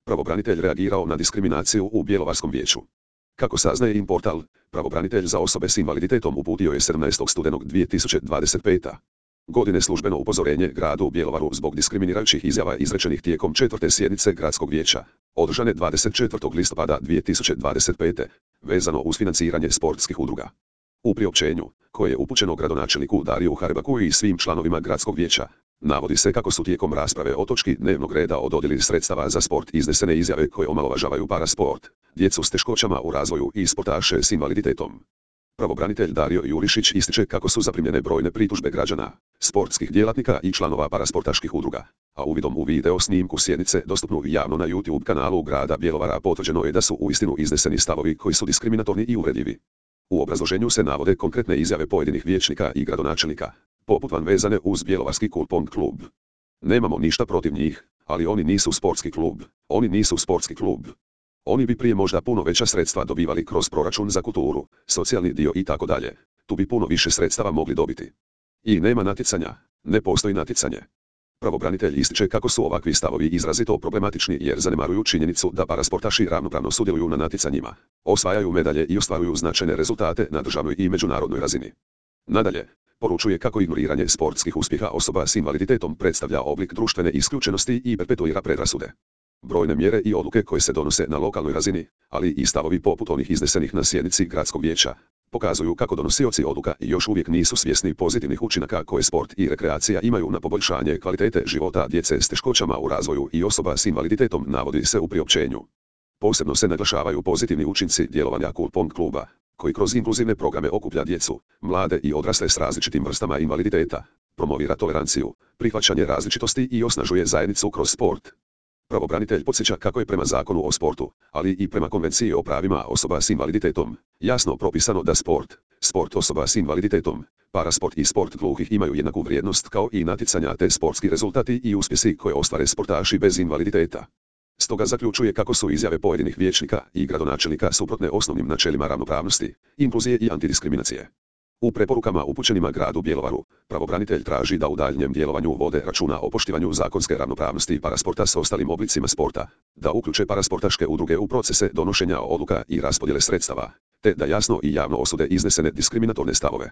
Pravobranitelj reagirao na diskriminaciju u Bjelovarskom vijeću. Kako saznaje Inportal, pravobranitelj za osobe s invaliditetom uputio je 17. studenog 2025. godine službeno upozorenje gradu Bjelovaru zbog diskriminirajućih izjava izrečenih tijekom 4. sjednice Gradskog vijeća, održane 24. listopada 2025. vezano uz financiranje sportskih udruga. U priopćenju, koje je upućeno gradonačelniku Dariju Harbaku i svim članovima Gradskog vijeća, navodi se kako su tijekom rasprave o točki dnevnog reda o dodjeli sredstava za sport iznesene izjave koje omalovažavaju parasport, djecu s teškoćama u razvoju i sportaše s invaliditetom. Pravobranitelj Dario Jurišić ističe kako su zaprimljene brojne pritužbe građana, sportskih djelatnika i članova parasportaških udruga, a uvidom u video snimku sjednice dostupnu javno na YouTube kanalu grada Bjelovara potvrđeno je da su uistinu izneseni stavovi koji su diskriminatorni i uvredljivi. U obrazloženju se navode konkretne izjave pojedinih vijećnika i gradonačelnika, poput van vezane uz Bjelovarski kulpong klub. Nemamo ništa protiv njih, ali oni nisu sportski klub, oni nisu sportski klub. Oni bi prije možda puno veća sredstva dobivali kroz proračun za kulturu, socijalni dio i tako dalje. Tu bi puno više sredstava mogli dobiti. I nema natjecanja, ne postoji natjecanje. Pravobranitelj ističe kako su ovakvi stavovi izrazito problematični jer zanemaruju činjenicu da parasportaši ravnopravno sudjeluju na natjecanjima, osvajaju medalje i ostvaruju značajne rezultate na državnoj i međunarodnoj razini. Nadalje, poručuje kako ignoriranje sportskih uspjeha osoba s invaliditetom predstavlja oblik društvene isključenosti i perpetuira predrasude. Brojne mjere i odluke koje se donose na lokalnoj razini, ali i stavovi poput onih iznesenih na sjednici Gradskog vijeća, pokazuju kako donosioci odluka još uvijek nisu svjesni pozitivnih učinaka koje sport i rekreacija imaju na poboljšanje kvalitete života djece s teškoćama u razvoju i osoba s invaliditetom, navodi se u priopćenju. Posebno se naglašavaju pozitivni učinci djelovanja kulpong kluba, koji kroz inkluzivne programe okuplja djecu, mlade i odrasle s različitim vrstama invaliditeta, promovira toleranciju, prihvaćanje različitosti i osnažuje zajednicu kroz sport. Pravobranitelj podsjeća kako je prema Zakonu o sportu, ali i prema Konvenciji o pravima osoba s invaliditetom, jasno propisano da sport osoba s invaliditetom, parasport i sport gluhih imaju jednaku vrijednost kao i natjecanja te sportski rezultati i uspjesi koje ostvare sportaši bez invaliditeta. Stoga zaključuje kako su izjave pojedinih vijećnika i gradonačelnika suprotne osnovnim načelima ravnopravnosti, inkluzije i antidiskriminacije. U preporukama upućenima gradu Bjelovaru, pravobranitelj traži da u daljnjem djelovanju vode računa o poštivanju zakonske ravnopravnosti parasporta s ostalim oblicima sporta, da uključe parasportaške udruge u procese donošenja odluka i raspodjele sredstava, te da jasno i javno osude iznesene diskriminatorne stavove.